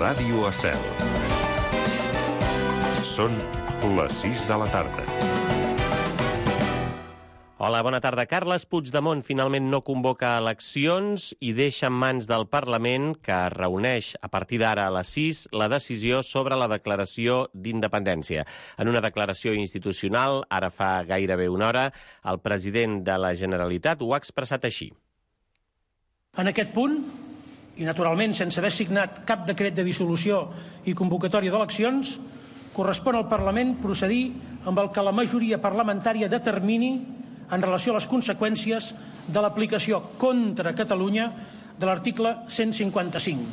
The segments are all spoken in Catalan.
Ràdio Estel. Són les 6 de la tarda. Hola, bona tarda. Carles Puigdemont finalment no convoca eleccions i deixa en mans del Parlament, que es reuneix a partir d'ara a les 6, la decisió sobre la declaració d'independència. En una declaració institucional, ara fa gairebé una hora, el president de la Generalitat ho ha expressat així. En aquest punt, i naturalment sense haver signat cap decret de dissolució i convocatòria d'eleccions, correspon al Parlament procedir amb el que la majoria parlamentària determini en relació a les conseqüències de l'aplicació contra Catalunya de l'article 155.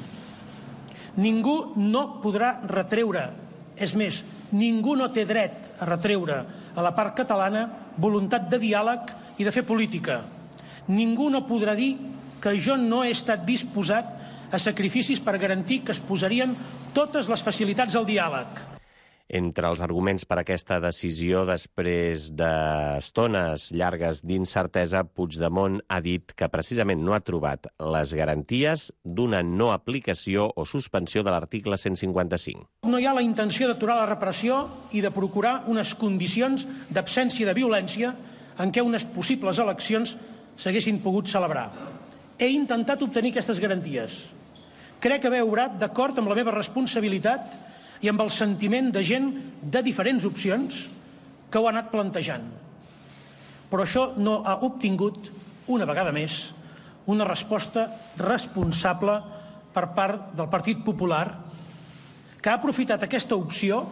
Ningú no podrà retreure, és més, ningú no té dret a retreure a la part catalana voluntat de diàleg i de fer política. Ningú no podrà dir que jo no he estat disposat a sacrificis per garantir que es posarien totes les facilitats al diàleg. Entre els arguments per aquesta decisió, després d'estones llargues d'incertesa, Puigdemont ha dit que precisament no ha trobat les garanties d'una no aplicació o suspensió de l'article 155. No hi ha la intenció d'aturar la repressió i de procurar unes condicions d'absència de violència en què unes possibles eleccions s'haguessin pogut celebrar. He intentat obtenir aquestes garanties. Crec haver obrat d'acord amb la meva responsabilitat i amb el sentiment de gent de diferents opcions que ho ha anat plantejant. Però això no ha obtingut, una vegada més, una resposta responsable per part del Partit Popular, que ha aprofitat aquesta opció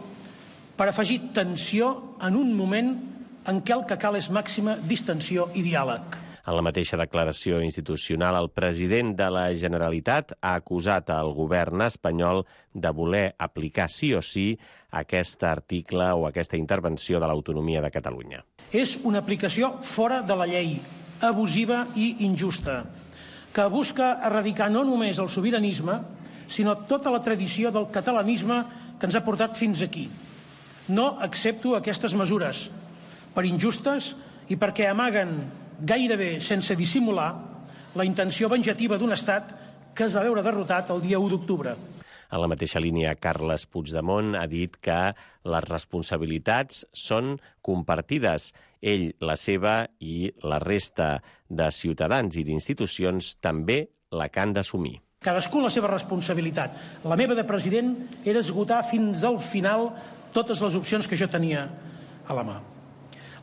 per afegir tensió en un moment en què el que cal és màxima distensió i diàleg. En la mateixa declaració institucional, el president de la Generalitat ha acusat al govern espanyol de voler aplicar sí o sí aquest article o aquesta intervenció de l'autonomia de Catalunya. És una aplicació fora de la llei, abusiva i injusta, que busca erradicar no només el sobiranisme, sinó tota la tradició del catalanisme que ens ha portat fins aquí. No accepto aquestes mesures, per injustes i perquè amaguen gairebé sense dissimular la intenció venjativa d'un estat que es va veure derrotat el dia 1 d'octubre. En la mateixa línia, Carles Puigdemont ha dit que les responsabilitats són compartides. Ell, la seva, i la resta de ciutadans i d'institucions també la que han d'assumir. Cadascú la seva responsabilitat. La meva de president era esgotar fins al final totes les opcions que jo tenia a la mà.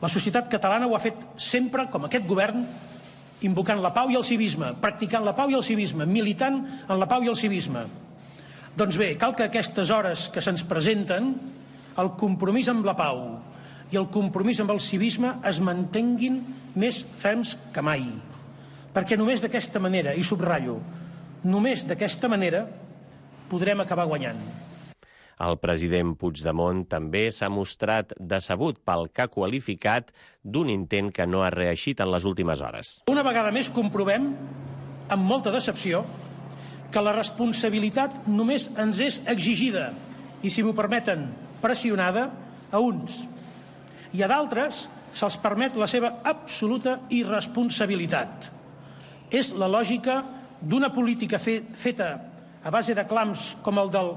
La societat catalana ho ha fet sempre, com aquest govern, invocant la pau i el civisme, practicant la pau i el civisme, militant en la pau i el civisme. Doncs bé, cal que aquestes hores que se'ns presenten, el compromís amb la pau i el compromís amb el civisme es mantenguin més ferms que mai. Perquè només d'aquesta manera, i subratllo, només d'aquesta manera podrem acabar guanyant. El president Puigdemont també s'ha mostrat decebut pel que ha qualificat d'un intent que no ha reeixit en les últimes hores. Una vegada més comprovem, amb molta decepció, que la responsabilitat només ens és exigida i, si m'ho permeten, pressionada a uns. I a d'altres se'ls permet la seva absoluta irresponsabilitat. És la lògica d'una política feta a base de clams com el del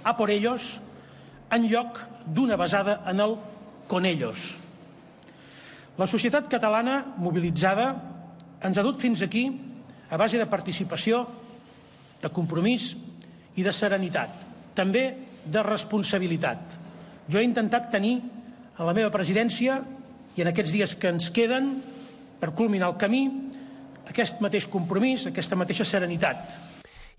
a por ellos, en lloc d'una basada en el con ellos. La societat catalana, mobilitzada, ens ha dut fins aquí a base de participació, de compromís i de serenitat, també de responsabilitat. Jo he intentat tenir a la meva presidència i en aquests dies que ens queden per culminar el camí aquest mateix compromís, aquesta mateixa serenitat.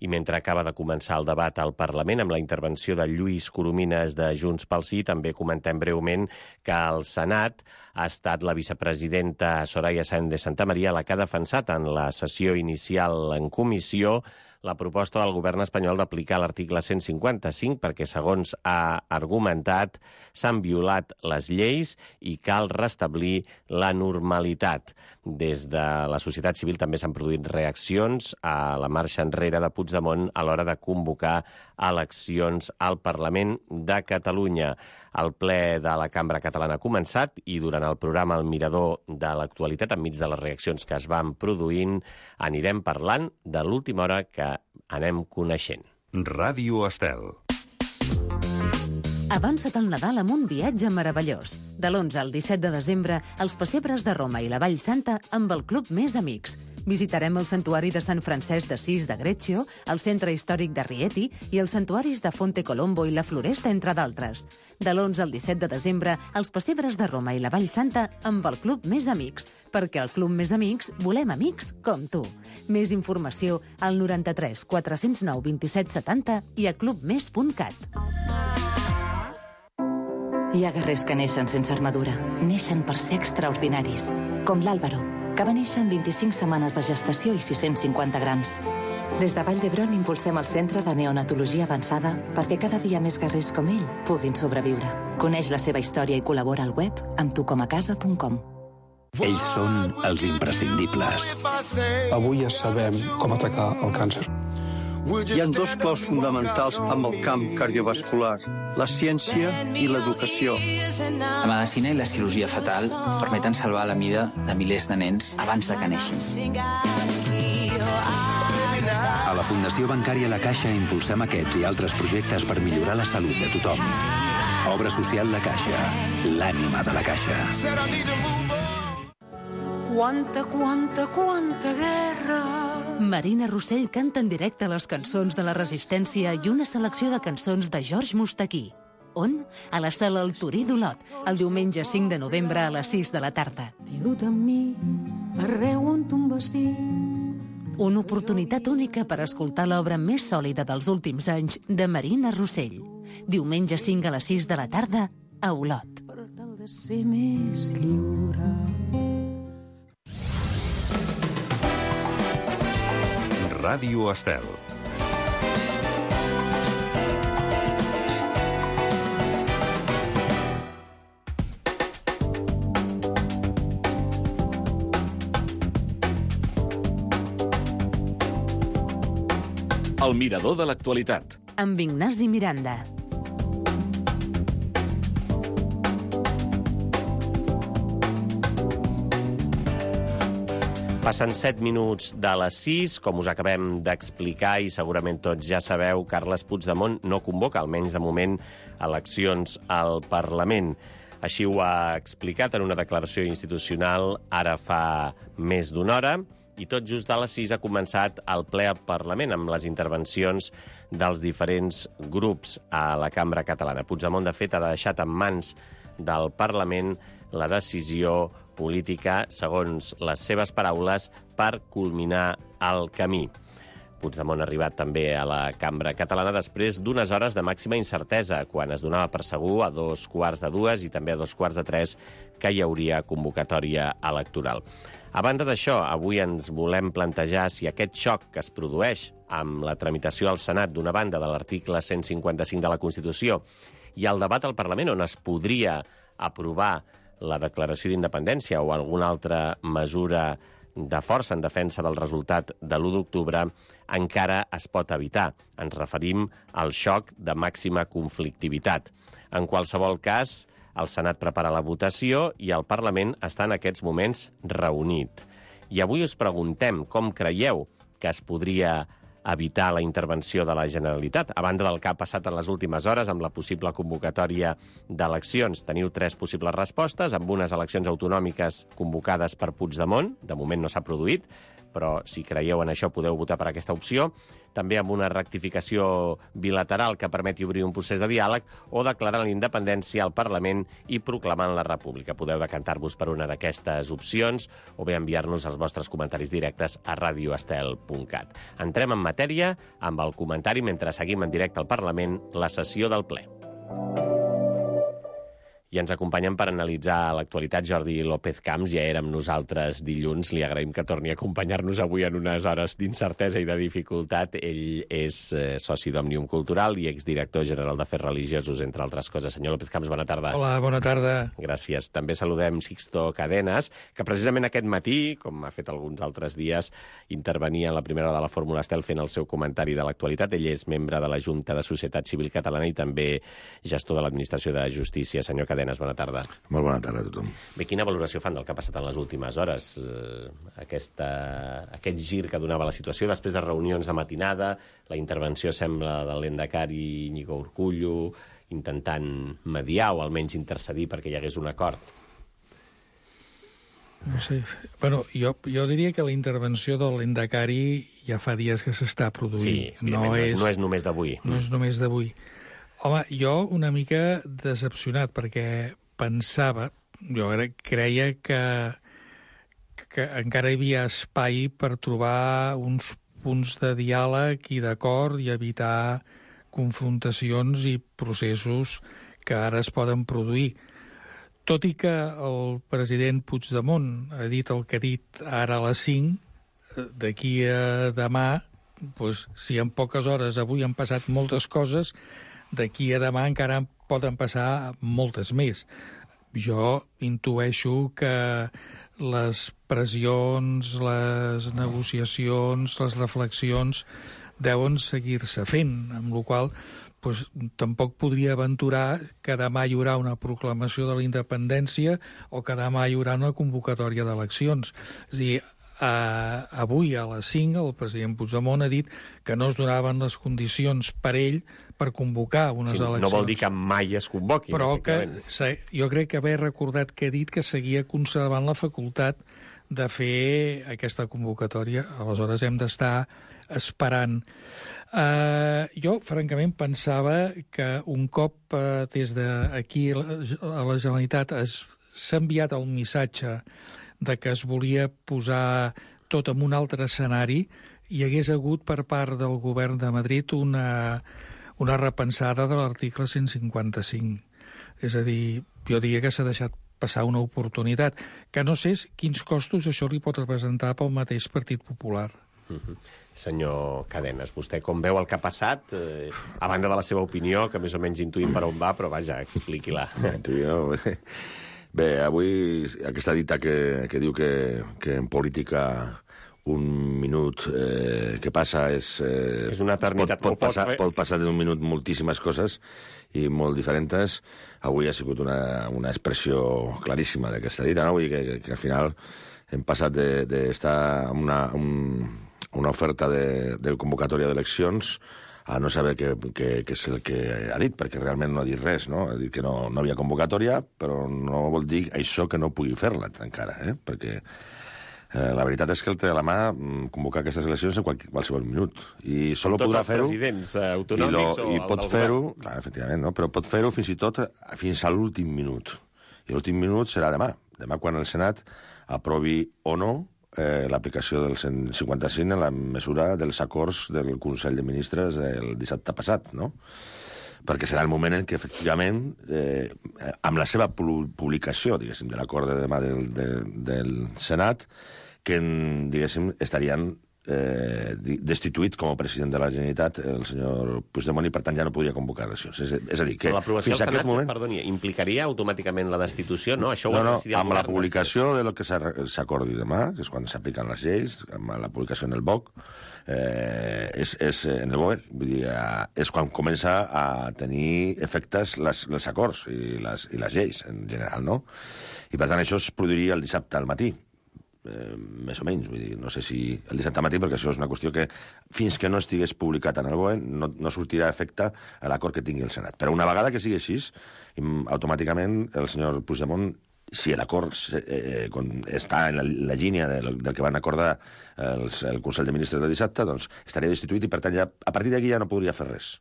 I mentre acaba de començar el debat al Parlament amb la intervenció de Lluís Coromines de Junts pel Sí, també comentem breument que al Senat ha estat la vicepresidenta Soraya Sáenz de Santamaría la que ha defensat en la sessió inicial en comissió la proposta del govern espanyol d'aplicar l'article 155 perquè, segons ha argumentat, s'han violat les lleis i cal restablir la normalitat. Des de la societat civil també s'han produït reaccions a la marxa enrere de Puigdemont a l'hora de convocar eleccions al Parlament de Catalunya. El ple de la Cambra Catalana ha començat i durant el programa El Mirador de l'actualitat, enmig de les reaccions que es van produint, anirem parlant de l'última hora que anem coneixent. Ràdio Estel. Avança't al Nadal amb un viatge meravellós. De l'11 al 17 de desembre, els pessebres de Roma i la Vall Santa amb el Club Més Amics. Visitarem el santuari de Sant Francesc d'Assís de Greccio, el centre històric de Rieti i els santuaris de Fonte Colombo i la Floresta, entre d'altres. De l'11 al 17 de desembre, els pessebres de Roma i la Vall Santa amb el Club Més Amics, perquè al Club Més Amics volem amics com tu. Més informació al 93 409 27 70 i a clubmes.cat. Hi ha guerrers que neixen sense armadura. Neixen per ser extraordinaris. Com l'Àlvaro, que va néixer en 25 setmanes de gestació i 650 grams. Des de Vall d'Hebron impulsem el Centre de Neonatologia Avançada perquè cada dia més guerrers com ell puguin sobreviure. Coneix la seva història i col·labora al web amb tucomacasa.com. Ells són els imprescindibles. Avui ja sabem com atacar el càncer. Hi ha dos claus fonamentals amb el camp cardiovascular, la ciència i l'educació. La medicina i la cirurgia fetal permeten salvar la vida de milers de nens abans de que neixin. A la Fundació Bancària La Caixa impulsem aquests i altres projectes per millorar la salut de tothom. Obra social La Caixa, l'ànima de la Caixa. Quanta guerra! Marina Rossell canta en directe les cançons de la Resistència i una selecció de cançons de George Mustaquí. On? A la sala El Torí d'Olot, el diumenge 5 de novembre a les 6 de la tarda. T'he dut amb mi arreu on tu em vas dir. Una oportunitat única per escoltar l'obra més sòlida dels últims anys de Marina Rossell. Diumenge 5 a les 6 de la tarda a Olot. Per tal de ser més lliure. Ràdio Estel. El mirador de l'actualitat. Amb Ignasi Miranda. Passen 7 minuts de les 6, com us acabem d'explicar i segurament tots ja sabeu, Carles Puigdemont no convoca, almenys de moment, eleccions al Parlament. Així ho ha explicat en una declaració institucional ara fa més d'una hora, i tot just a les 6 ha començat el ple al Parlament amb les intervencions dels diferents grups a la Cambra Catalana. Puigdemont, de fet, ha deixat en mans del Parlament la decisió política, segons les seves paraules, per culminar el camí. Puigdemont ha arribat també a la Cambra Catalana després d'unes hores de màxima incertesa, quan es donava per segur a 2:15 i també a 2:45 que hi hauria convocatòria electoral. A banda d'això, avui ens volem plantejar si aquest xoc que es produeix amb la tramitació al Senat, d'una banda, de l'article 155 de la Constitució i el debat al Parlament, on es podria aprovar la declaració d'independència o alguna altra mesura de força en defensa del resultat de l'1 d'octubre, encara es pot evitar. Ens referim al xoc de màxima conflictivitat. En qualsevol cas, el Senat prepara la votació i el Parlament està en aquests moments reunit. I avui us preguntem com creieu que es podria evitar la intervenció de la Generalitat, a banda del que ha passat en les últimes hores amb la possible convocatòria d'eleccions. Teniu 3 possibles respostes, amb unes eleccions autonòmiques convocades per Puigdemont, de moment no s'ha produït, però si creieu en això podeu votar per aquesta opció, també amb una rectificació bilateral que permeti obrir un procés de diàleg o declarar la independència al Parlament i proclamant la República. Podeu decantar-vos per una d'aquestes opcions o bé enviar-nos els vostres comentaris directes a radioestel.cat. Entrem en matèria amb el comentari mentre seguim en directe al Parlament la sessió del ple. I ens acompanyen per analitzar l'actualitat Jordi López Camps. Ja era amb nosaltres dilluns. Li agraïm que torni a acompanyar-nos avui en unes hores d'incertesa i de dificultat. Ell és soci d'Òmnium Cultural i exdirector general d'Afers Religiosos, entre altres coses. Senyor López Camps, bona tarda. Hola, bona tarda. Gràcies. També saludem Sixto Cadenas, que precisament aquest matí, com ha fet alguns altres dies, intervenia en la primera hora de la Fórmula Estel fent el seu comentari de l'actualitat. Ell és membre de la Junta de Societat Civil Catalana i també gestor de l'Administració de Justícia. Senyor Cadenas, Cadenes, bona tarda. Molt bona tarda a tothom. Bé, quina valoració fan del que ha passat en les últimes hores? Aquest gir que donava la situació després de reunions de matinada, la intervenció sembla de l'Endacari Íñigo Urkullu, intentant mediar o almenys intercedir perquè hi hagués un acord. No sé. Bueno, jo diria que la intervenció de l'Endacari ja fa dies que s'està produint. Sí, no és només d'avui. No és només d'avui. Home, jo una mica decepcionat, perquè pensava, jo creia que encara hi havia espai per trobar uns punts de diàleg i d'acord i evitar confrontacions i processos que ara es poden produir. Tot i que el president Puigdemont ha dit el que ha dit ara a les 5, d'aquí a demà, doncs, si en poques hores avui han passat moltes coses, d'aquí a demà encara poden passar moltes més. Jo intueixo que les pressions, les negociacions, les reflexions deuen seguir-se fent, amb la qual cosa tampoc podria aventurar que demà hi haurà una proclamació de la independència o que demà hi haurà una convocatòria d'eleccions. És a dir, avui a les 5 el president Puigdemont ha dit que no es donaven les condicions per ell per convocar unes eleccions. No vol dir que mai es convoquin. Però que jo crec que haver recordat que ha dit que seguia conservant la facultat de fer aquesta convocatòria. Aleshores hem d'estar esperant. Jo, francament, pensava que un cop des d'aquí a la Generalitat s'ha enviat el missatge de que es volia posar tot en un altre escenari, hi hagués hagut per part del govern de Madrid una repensada de l'article 155. És a dir, jo diria que s'ha deixat passar una oportunitat, que no sé quins costos això li pot representar pel mateix Partit Popular. Senyor Cadenes, vostè com veu el que ha passat, a banda de la seva opinió, que més o menys intuïm per on va, però vaja, expliqui-la. Bé, avui aquesta dita que diu que en política un minut que passa és una eternitat. Pot passar d'un minut moltíssimes coses i molt diferents. Avui ha sigut una expressió claríssima d'aquesta dita, no? Vull dir que al final hem passat d'estar amb una oferta de convocatòria d'eleccions a no saber què és el que ha dit, perquè realment no ha dit res, no? Ha dit que no havia convocatòria, però no vol dir això que no pugui fer-la encara, perquè la veritat és que el té a la mà convocar aquestes eleccions en qualsevol minut. I solo podrà fer-ho... Tots els presidents autonòmics o el pot fer-ho, clar, efectivament, no? Però pot fer-ho fins i tot fins a l'últim minut. I l'últim minut serà demà. Demà quan el Senat aprovi o no l'aplicació del 155 en la mesura dels acords del Consell de Ministres del dissabte passat, no? Perquè serà el moment en què, efectivament, amb la seva publicació, diguéssim, de l'acord de demà del Senat, que, diguéssim, estarien destituït com a president de la Generalitat el senyor Puigdemont i, per tant, ja no podria convocar eleccions. És a dir, que fins a aquest moment... Perdoni, implicaria automàticament la destitució, no? Això no, amb la publicació de lo que s'acordi demà, que és quan s'apliquen les lleis, amb la publicació en el BOC, en el BOE, vull dir, és quan comença a tenir efectes els acords i les lleis, en general, no? I, per tant, això es produiria el dissabte al matí. Més o menys, vull dir, no sé si el dissabte matí, perquè això és una qüestió que fins que no estigués publicat en el BOE no sortirà efecte a l'acord que tingui el Senat. Però una vegada que sigui així, automàticament el senyor Puigdemont, si l'acord està en la línia del que van acordar el Consell de Ministres del dissabte, doncs estaria destituït i, per tant, a partir d'aquí ja no podria fer res.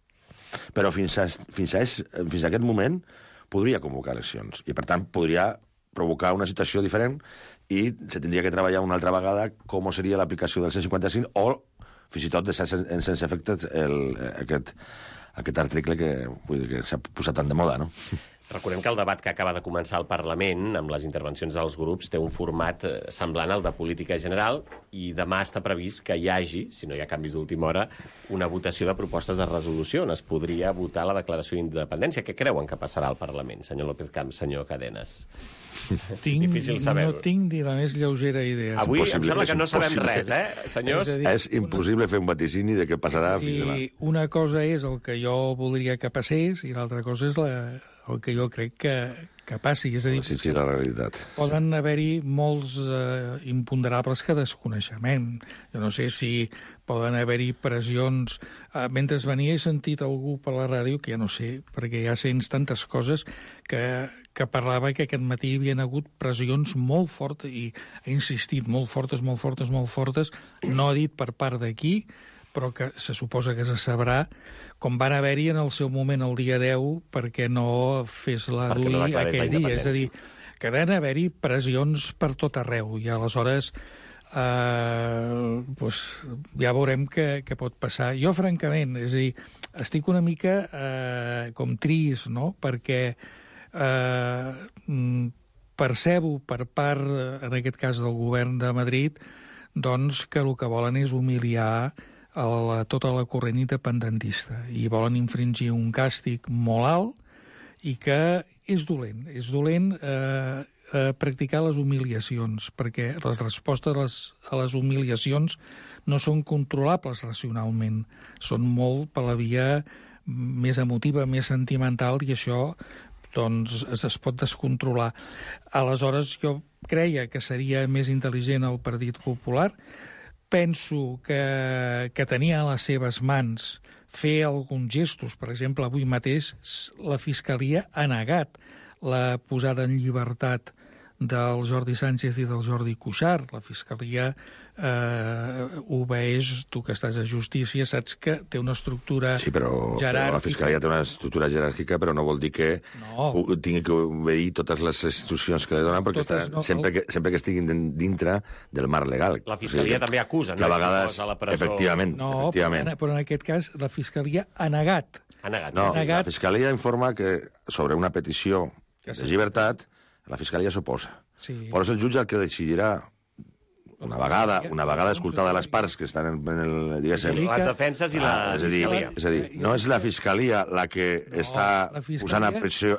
Però fins a aquest moment podria convocar eleccions i, per tant, podria provocar una situació diferent i se tindria que treballar una altra vegada com seria l'aplicació del 155 o fins i tot deixar sense efecte aquest article que s'ha posat tant de moda, no? Recordem que el debat que acaba de començar al Parlament, amb les intervencions dels grups, té un format semblant al de política general i demà està previst que hi hagi, si no hi ha canvis d'última hora, una votació de propostes de resolució on es podria votar la declaració d'independència. Què creuen que passarà al Parlament, senyor López Camps, senyor Cadenes? Difícil saber. No tinc ni la més lleugera idea. Avui em sembla que no sabem res, senyors? És impossible fer un vaticini de què passarà fins demà. I una cosa és el que jo voldria que passés i l'altra cosa és el que jo crec que passi. És a dir, la realitat. Poden haver-hi molts imponderables que desconeixement. Jo no sé si poden haver-hi pressions. Mentre venia he sentit algú per la ràdio, que ja no sé, perquè ja sents tantes coses, que parlava que aquest matí hi havia hagut pressions molt fortes, i ha insistit, molt fortes, no ha dit per part d'aquí, però que se suposa que se sabrà, com van haver-hi en el seu moment el dia 10 perquè no fes la DUI aquell dia. És a dir, que van haver-hi pressions per tot arreu, i aleshores ja veurem què pot passar. Jo, francament, és a dir, estic una mica com trist, no?, perquè percebo per part, en aquest cas del govern de Madrid, doncs que el que volen és humiliar tota la corrent independentista i volen infringir un càstig molt alt i que és dolent practicar les humiliacions, perquè les respostes a les humiliacions no són controlables racionalment, són molt per la via més emotiva, més sentimental, i això doncs es pot descontrolar. Aleshores, jo creia que seria més intel·ligent el Partit Popular. Penso que tenia a les seves mans fer alguns gestos. Per exemple, avui mateix la Fiscalia ha negat la posada en llibertat del Jordi Sánchez i del Jordi Cuixart. La Fiscalia obeeix, tu que estàs a Justícia, saps que té una estructura jeràrquica. Però la Fiscalia té una estructura jeràrquica, però no vol dir que tingui que obeir totes les institucions que li donen, perquè sempre que estiguin dintre del marc legal. La Fiscalia també acusa, no? Que a vegades, efectivament. Però en aquest cas la Fiscalia ha negat. No, la Fiscalia informa que sobre una petició de llibertat la Fiscalia s'oposa. Però és el jutge el que decidirà, una vegada escoltada les parts que estan en el... diguéssim, les defenses i la Fiscalia. És a dir, no és la Fiscalia la que està posant en presó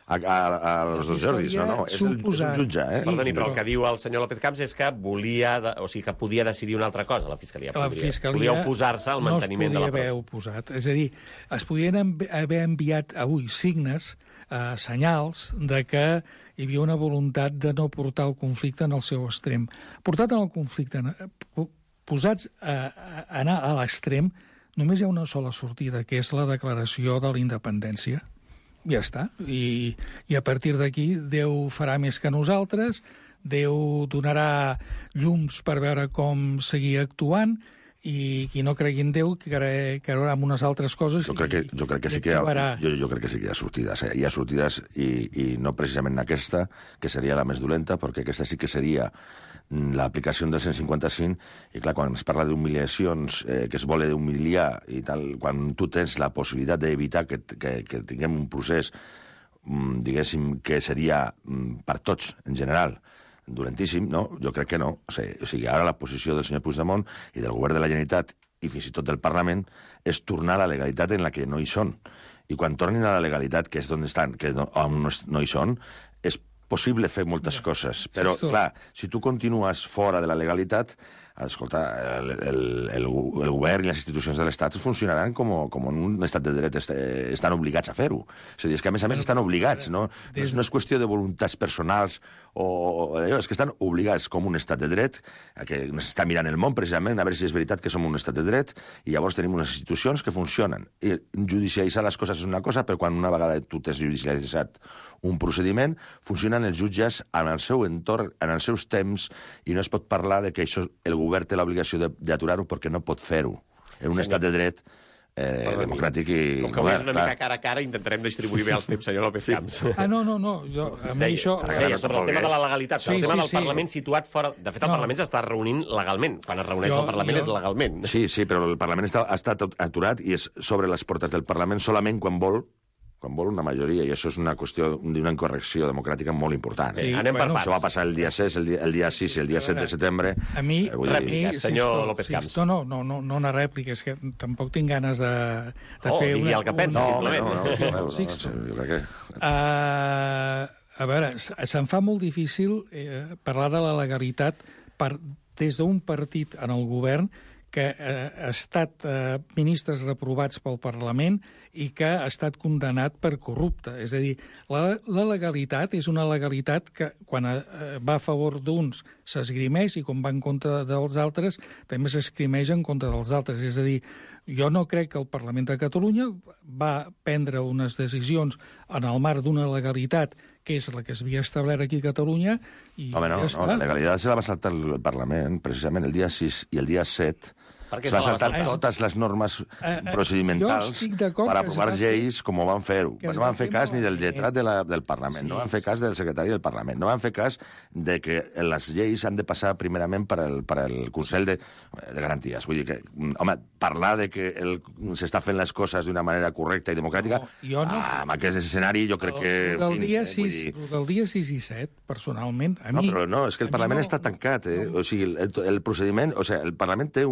als dos Jordis, no, és el jutge. Perdoni, però el que diu el senyor López Camps és que que podia decidir una altra cosa, la Fiscalia. Podia oposar-se al manteniment de la presó. No es podia haver oposat. És a dir, es podien haver enviat avui signes, senyals de que hi havia una voluntat de no portar el conflicte en el seu extrem. Portat en el conflicte, posats a anar a l'extrem, només hi ha una sola sortida, que és la declaració de la independència. Ja està. I a partir d'aquí Déu farà més que nosaltres, Déu donarà llums per veure com seguir actuant, i qui no cregui en Déu creurà en unes altres coses. Jo crec que sí que hi ha sortides. Hi ha sortides i no precisament aquesta, que seria la més dolenta, perquè aquesta sí que seria l'aplicació del 155, i clar, quan es parla d'humiliacions, que es vol humiliar i tal, quan tu tens la possibilitat d'evitar que tinguem un procés, diguéssim, que seria per tots, en general, dolentíssim, no? Jo crec que no. O sigui, ara la posició del senyor Puigdemont i del govern de la Generalitat i fins i tot del Parlament és tornar a la legalitat en la que no hi són. I quan tornin a la legalitat, que és on estan, que on no hi són, és possible fer moltes coses. Però, clar, si tu continues fora de la legalitat, escolta, el govern i les institucions de l'Estat funcionaran com en un estat de dret, estan obligats a fer-ho. És a dir, és que a més estan obligats, no? No és qüestió de voluntats personals és que estan obligats com un estat de dret, que s'està mirant el món precisament a veure si és veritat que som un estat de dret, i llavors tenim unes institucions que funcionen. I judicialitzar les coses és una cosa, però quan una vegada tu t'has judicialitzat un procediment, funcionen els jutges en el seu entorn, en els seus temps, i no es pot parlar de que això el govern té l'obligació d'aturar-ho perquè no pot fer-ho. En un estat de dret democràtic i com que avui és una mica cara a cara, intentarem distribuir bé els temps, senyor López Camps. No. A mi això... Sobre el tema de la legalitat, el tema del Parlament situat fora... De fet, el Parlament s'està reunint legalment. Quan es reuneix el Parlament és legalment. Sí, però el Parlament ha estat aturat i és sobre les portes del Parlament solament quan vol una majoria, i això és una qüestió d'una incorrecció democràtica molt important. Anem per parts. Això va passar el dia 6, el dia 6 i el dia 7 de setembre. A mi, senyor López Camps. No una rèplica, és que tampoc tinc ganes de fer una... I el que pensa, simplement. Jo crec que... A veure, se'm fa molt difícil parlar de la legalitat des d'un partit en el govern que ha estat ministres reprovats pel Parlament i que ha estat condemnat per corrupte. És a dir, la legalitat és una legalitat que quan va a favor d'uns s'esgrimeix i quan va en contra dels altres també s'esgrimeix en contra dels altres. És a dir, jo no crec que el Parlament de Catalunya va prendre unes decisions en el marc d'una legalitat que és la que s'havia establert aquí a Catalunya i Home, no, la legalitat se la va saltar el Parlament, precisament el dia 6 i el dia 7. Es va saltar totes les normes procedimentals per aprovar lleis com ho van fer-ho. No van fer cas ni del lletrat del Parlament, no van fer cas del secretari del Parlament, no van fer cas de que les lleis han de passar primerament per al Consell de Garanties. Vull dir que, home, parlar de que s'està fent les coses d'una manera correcta i democràtica, amb aquest escenari jo crec que... Del dia 6 i 7, personalment, a mi... No, però no, és que el Parlament està tancat, o sigui, el procediment... O sigui, el Parlament té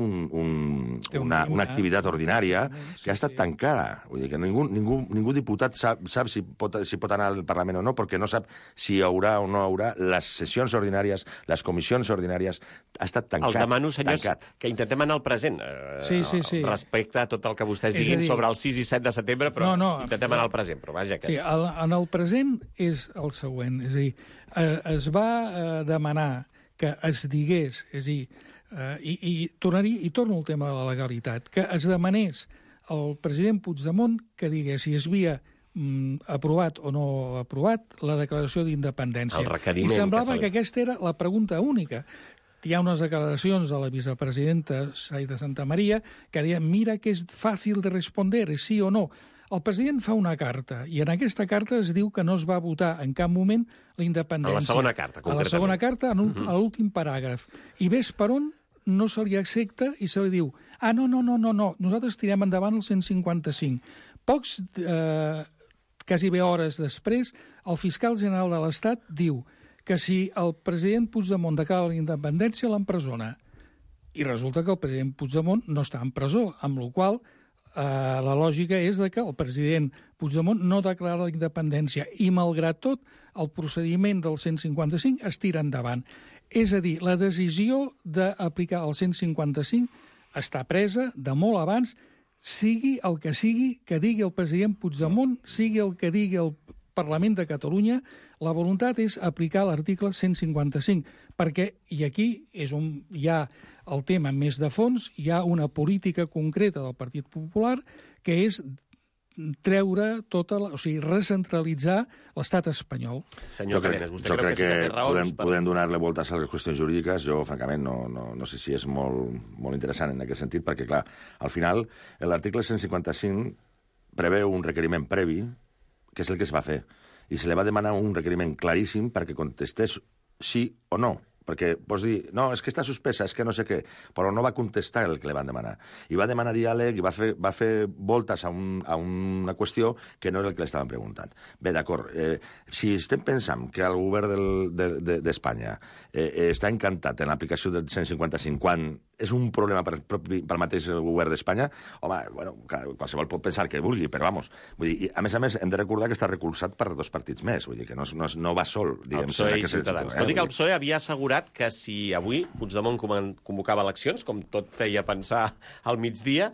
una activitat ordinària que ha estat tancada. Vull dir que ningú diputat sap si pot anar al Parlament o no, perquè no sap si hi haurà o no hi haurà les sessions ordinàries, les comissions ordinàries. Ha estat tancat. Els demano, senyors, que intentem anar al present. Sí. Respecte a tot el que vostès diguin sobre el 6 i 7 de setembre, però intentem anar al present. Però vaja, que... Sí, en el present és el següent. És a dir, es va demanar que es digués, és a dir, i torno al tema de la legalitat, que es demanés al president Puigdemont que digués si es havia aprovat o no aprovat la declaració d'independència. I semblava que aquesta era la pregunta única. Hi ha unes declaracions de la vicepresidenta Saida Santamaría que deien, mira que és fàcil de responder, és sí o no. El president fa una carta, i en aquesta carta es diu que no es va votar en cap moment la independència. A la segona carta, concretament. A la segona carta, a l'últim paràgraf. I ves per on no se li accepta i se li diu no, nosaltres tirem endavant el 155. Pocs, quasi bé hores després, el fiscal general de l'Estat diu que si el president Puigdemont declara la independència, l'empresona. I resulta que el president Puigdemont no està en presó, amb la qual la lògica és que el president Puigdemont no declara la independència i, malgrat tot, el procediment del 155 es tira endavant. És a dir, la decisió d'aplicar el 155 està presa de molt abans, sigui el que sigui que digui el president Puigdemont, sigui el que digui el Parlament de Catalunya, la voluntat és aplicar l'article 155, perquè, i aquí és on hi ha el tema més de fons, hi ha una política concreta del Partit Popular que és treure o sigui, recentralitzar l'estat espanyol. Senyor Cadenes, vostè creu que sí que té raons? Podem donar-li voltes a les qüestions jurídiques. Jo, francament, no sé si és molt interessant en aquest sentit, perquè, clar, al final, l'article 155 preveu un requeriment previ, que és el que es va fer, i se li va demanar un requeriment claríssim perquè contestés sí o no. Perquè pots dir, no, és que està suspesa, és que no sé què, però no va contestar el que li van demanar. I va demanar diàleg i va fer voltes a una qüestió que no era el que li estaven preguntant. Bé, d'acord, si estem pensant que el govern d'Espanya està encantat en l'aplicació del 155 quan és un problema pel mateix govern d'Espanya, home, bueno, qualsevol pot pensar que vulgui, però vamos. Vull dir, a més, hem de recordar que està recolzat per 2 partits més, vull dir que no va sol, diguem. El PSOE i Ciutadans. Tot i que el PSOE havia assegurat que si avui Puigdemont convocava eleccions, com tot feia pensar al migdia,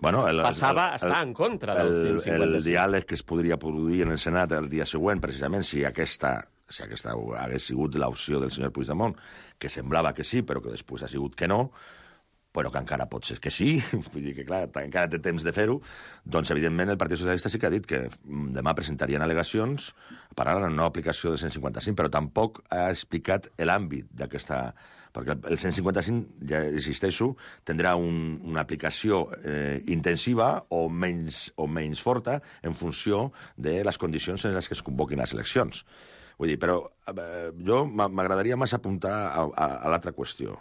passava a estar en contra del 155. El diàleg que es podria produir en el Senat el dia següent, precisament, si aquesta hagués sigut l'opció del senyor Puigdemont, que semblava que sí, però que després ha sigut que no, però que encara pot ser que sí, vull dir que, clar, encara té temps de fer-ho, doncs, evidentment, el Partit Socialista sí que ha dit que demà presentarien al·legacions per a la no aplicació del 155, però tampoc ha explicat l'àmbit d'aquesta... Perquè el 155, ja insisteixo, tindrà una aplicació intensiva o menys forta en funció de les condicions en les que es convoquin les eleccions. Vull dir, però jo m'agradaria més apuntar a l'altra qüestió.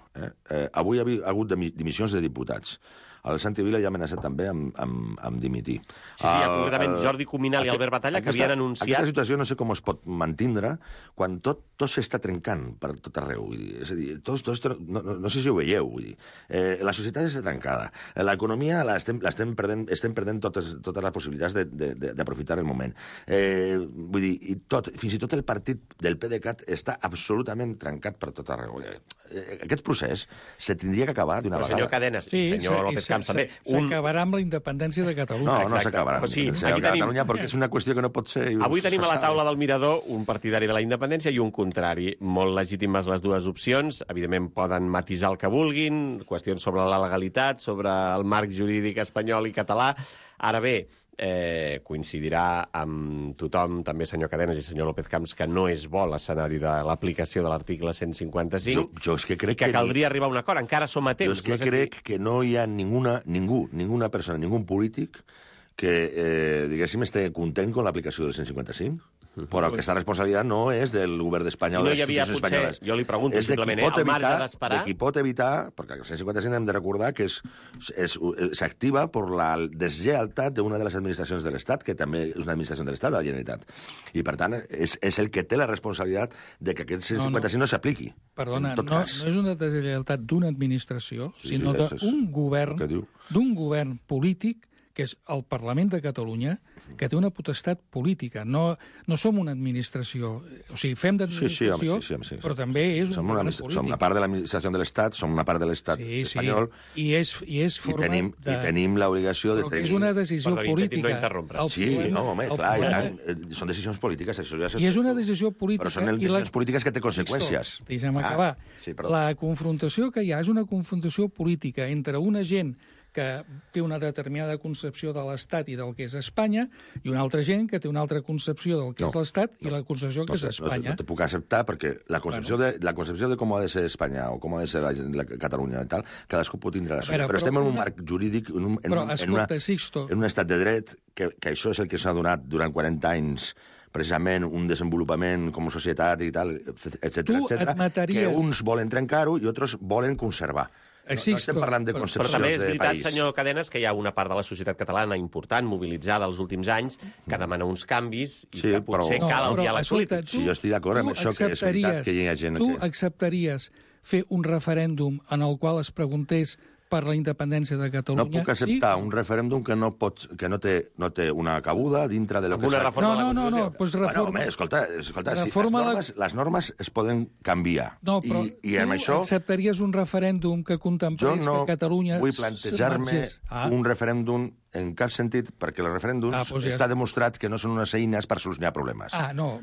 Avui hi ha hagut dimissions de diputats. El Santi Vila ja ha amenaçat també amb dimitir. Sí, concretament Jordi Cuminal i Albert Batalla, que havien anunciat... Aquesta situació no sé com es pot mantindre quan tot s'està trencant per tot arreu. Vull dir, és a dir, no sé si ho veieu. Vull dir. La societat està trencada. L'economia estem perdent totes les possibilitats d'aprofitar el moment. Vull dir, fins i tot el partit del PDeCAT està absolutament trencat per tot arreu. Aquest procés se tindria que acabar d'una vegada. Senyor Cadenes, senyor López Camps també. S'acabarà amb la independència de Catalunya. No s'acabarà amb la independència de Catalunya perquè és una qüestió que no pot ser... Avui tenim a la taula del Mirador un partidari de la independència i un contrari. Molt legítimes les dues opcions. Evidentment poden matisar el que vulguin, qüestions sobre la legalitat, sobre el marc jurídic espanyol i català. Ara bé, coincidirà amb tothom, també senyor Cadenes i senyor López Camps, que no és bo l'escenari de l'aplicació de l'article 155, jo és que crec que caldria arribar a un acord. Encara som a temps. Jo és que crec que no hi ha ninguna persona, ningú polític que, diguéssim, esté content amb l'aplicació del 155. Però aquesta responsabilitat no és del govern d'Espanya o de les institucions espanyoles. Jo li pregunto simplement, al marge d'esperar... De qui pot evitar, perquè el 155 hem de recordar que s'activa per la deslleialtat d'una de les administracions de l'Estat, que també és una administració de l'Estat, de la Generalitat. I, per tant, és el que té la responsabilitat de que aquest 155 no s'apliqui. Perdona, no és una deslleialtat d'una administració, sinó d'un govern polític, que és el Parlament de Catalunya, que té una potestat política. No som una administració. O sigui, fem d'administració, però també és un govern polític. Som una part de l'administració de l'Estat, som una part de l'Estat espanyol. I és forma de... I tenim l'obligació de tenir... Però que és una decisió política. No interrompre. Sí, no, home, clar, són decisions polítiques. I és una decisió política... Però són decisions polítiques que té conseqüències. Deixa'm acabar. La confrontació que hi ha és una confrontació política entre una gent que té una determinada concepció de l'Estat i del que és Espanya, i una altra gent que té una altra concepció del que és l'Estat i la concepció que és Espanya. No te puc acceptar perquè la concepció de com ha de ser Espanya o com ha de ser la Catalunya i tal, cadascú pot tindre la seva. Però estem en un marc jurídic, en un estat de dret, que això és el que s'ha donat durant 40 anys, precisament un desenvolupament com a societat i tal, etcètera, que uns volen trencar-ho i altres volen conservar. No estem parlant de concepcions de país. Però també és veritat, senyor Cadenes, que hi ha una part de la societat catalana important, mobilitzada els últims anys, que demana uns canvis i que potser cal el diàleg polític. Sí, jo estic d'acord amb això, que és veritat que hi ha gent... Tu acceptaries fer un referèndum en el qual es preguntés per la independència de Catalunya? No puc acceptar un referèndum que no té una cabuda dintre de lo que... Una reforma de la Constitució. Doncs reforma... Escolta, les normes es poden canviar. No, però tu acceptaries un referèndum que contemplés que Catalunya... Jo no vull plantejar-me un referèndum en cap sentit, perquè els referèndums està demostrat que no són unes eines per solucionar problemes. No,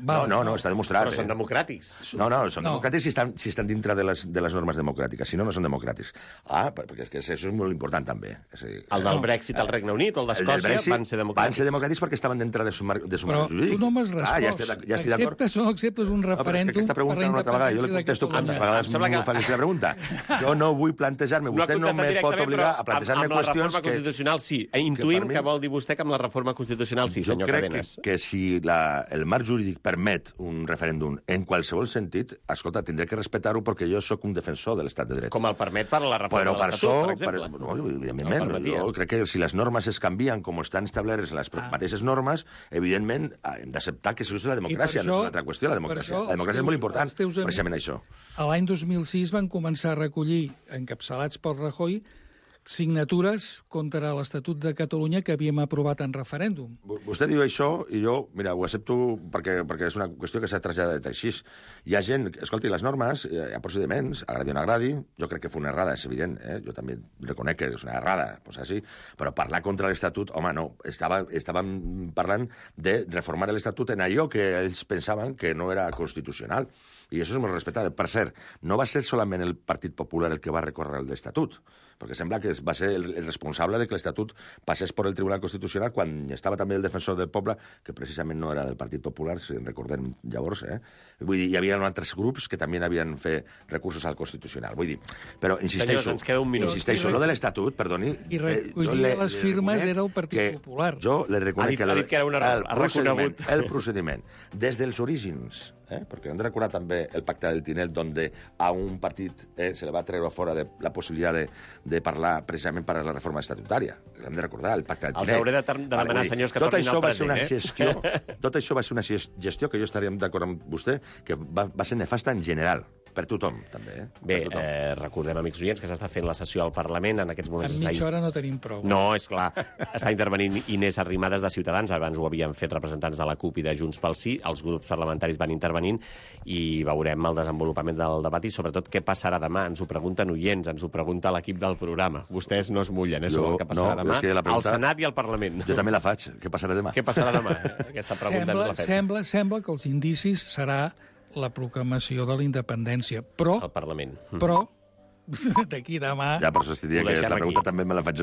està demostrat. Però són democràtics. No, són democràtics si estan dintre de les normes democràtiques. Si no, no són democràtics. Perquè és que això és molt important, també. El del Brexit al Regne Unit o el d'Escòcia van ser democràtics. Van ser democràtics perquè estaven dintre de su marc jurídic. Però tu no m'has respost. Acceptes o no acceptes un referèndum aquesta pregunta una altra vegada. Jo li contesto quantes vegades m'ho fa aquesta pregunta. Jo no vull plantejar-me. Vostè no me pot obligar a plantejar-me qüestions que... Amb la reforma constitucional sí. Intuïm que vol dir vostè que amb la reforma constitucional sí, senyor Cadenes. Jo crec que si el marc jurídic permet un referèndum en qualsevol sentit, escolta, tindré que respectar-ho perquè jo sóc un defensor de l'estat de dret. Com el permet per la reforma de l'Estatut, per exemple. Evidentment, jo crec que si les normes es canvien com estan establertes les mateixes normes, evidentment hem d'acceptar que això és la democràcia, no és una altra qüestió, la democràcia. La democràcia és molt important, precisament això. L'any 2006 van començar a recollir, encapçalats pel Rajoy, signatures contra l'Estatut de Catalunya que havíem aprovat en referèndum. Vostè diu això i jo, mira, ho accepto perquè és una qüestió que s'ha traslladat així. Hi ha gent... Escolti, les normes, hi ha procediments, agradi o no agradi, jo crec que fue una errada, és evident, jo també reconec que és una errada, pues així, però parlar contra l'Estatut, home, no, estàvem parlant de reformar l'Estatut en allò que ells pensaven que no era constitucional. I això és molt respectable. Per cert, no va ser solament el Partit Popular el que va recórrer l'Estatut, perquè sembla que va ser el responsable de que l'Estatut passés per el Tribunal Constitucional quan estava també el defensor del poble, que precisament no era del Partit Popular, si en recordem llavors. Vull dir, hi havia altres grups que també havien fet recursos al Constitucional. Vull dir, però insisteixo... Senyors, ens queda un minut. Insisteixo, lo de l'Estatut, perdoni... I recollir les firmes era el Partit Popular. Jo le reconec que el procediment, des dels orígens, perquè hem de recordar també el pacte del Tinel, on a un partit se le va treure fora de la possibilitat de parlar precisament per a la reforma estatutària. Hem de recordar el pacte de Tinec. Els hauré de demanar, senyors, que tornin al present. Tot això va ser una gestió que jo estaria d'acord amb vostè, que va ser nefasta en general. Per tothom, també. Bé, recordem, amics oients, que s'està fent la sessió al Parlament. En aquests moments en mitja hora no tenim prou. No, és clar. Està intervenint Inés Arrimadas, de Ciutadans. Abans ho havien fet representants de la CUP i de Junts pel Sí. Els grups parlamentaris van intervenint i veurem el desenvolupament del debat i, sobretot, què passarà demà. Ens ho pregunten oients, ens ho pregunta l'equip del programa. Vostès no es mullen, sobre el que passarà demà. Al Senat i al Parlament. Jo també la faig. Què passarà demà? Què passarà demà? Aquesta pregunta ens la fem. Sembla que els indicis serà la proclamació de la independència, però... Al Parlament. Però, d'aquí demà... Ja, però s'estiria que la pregunta també me la faig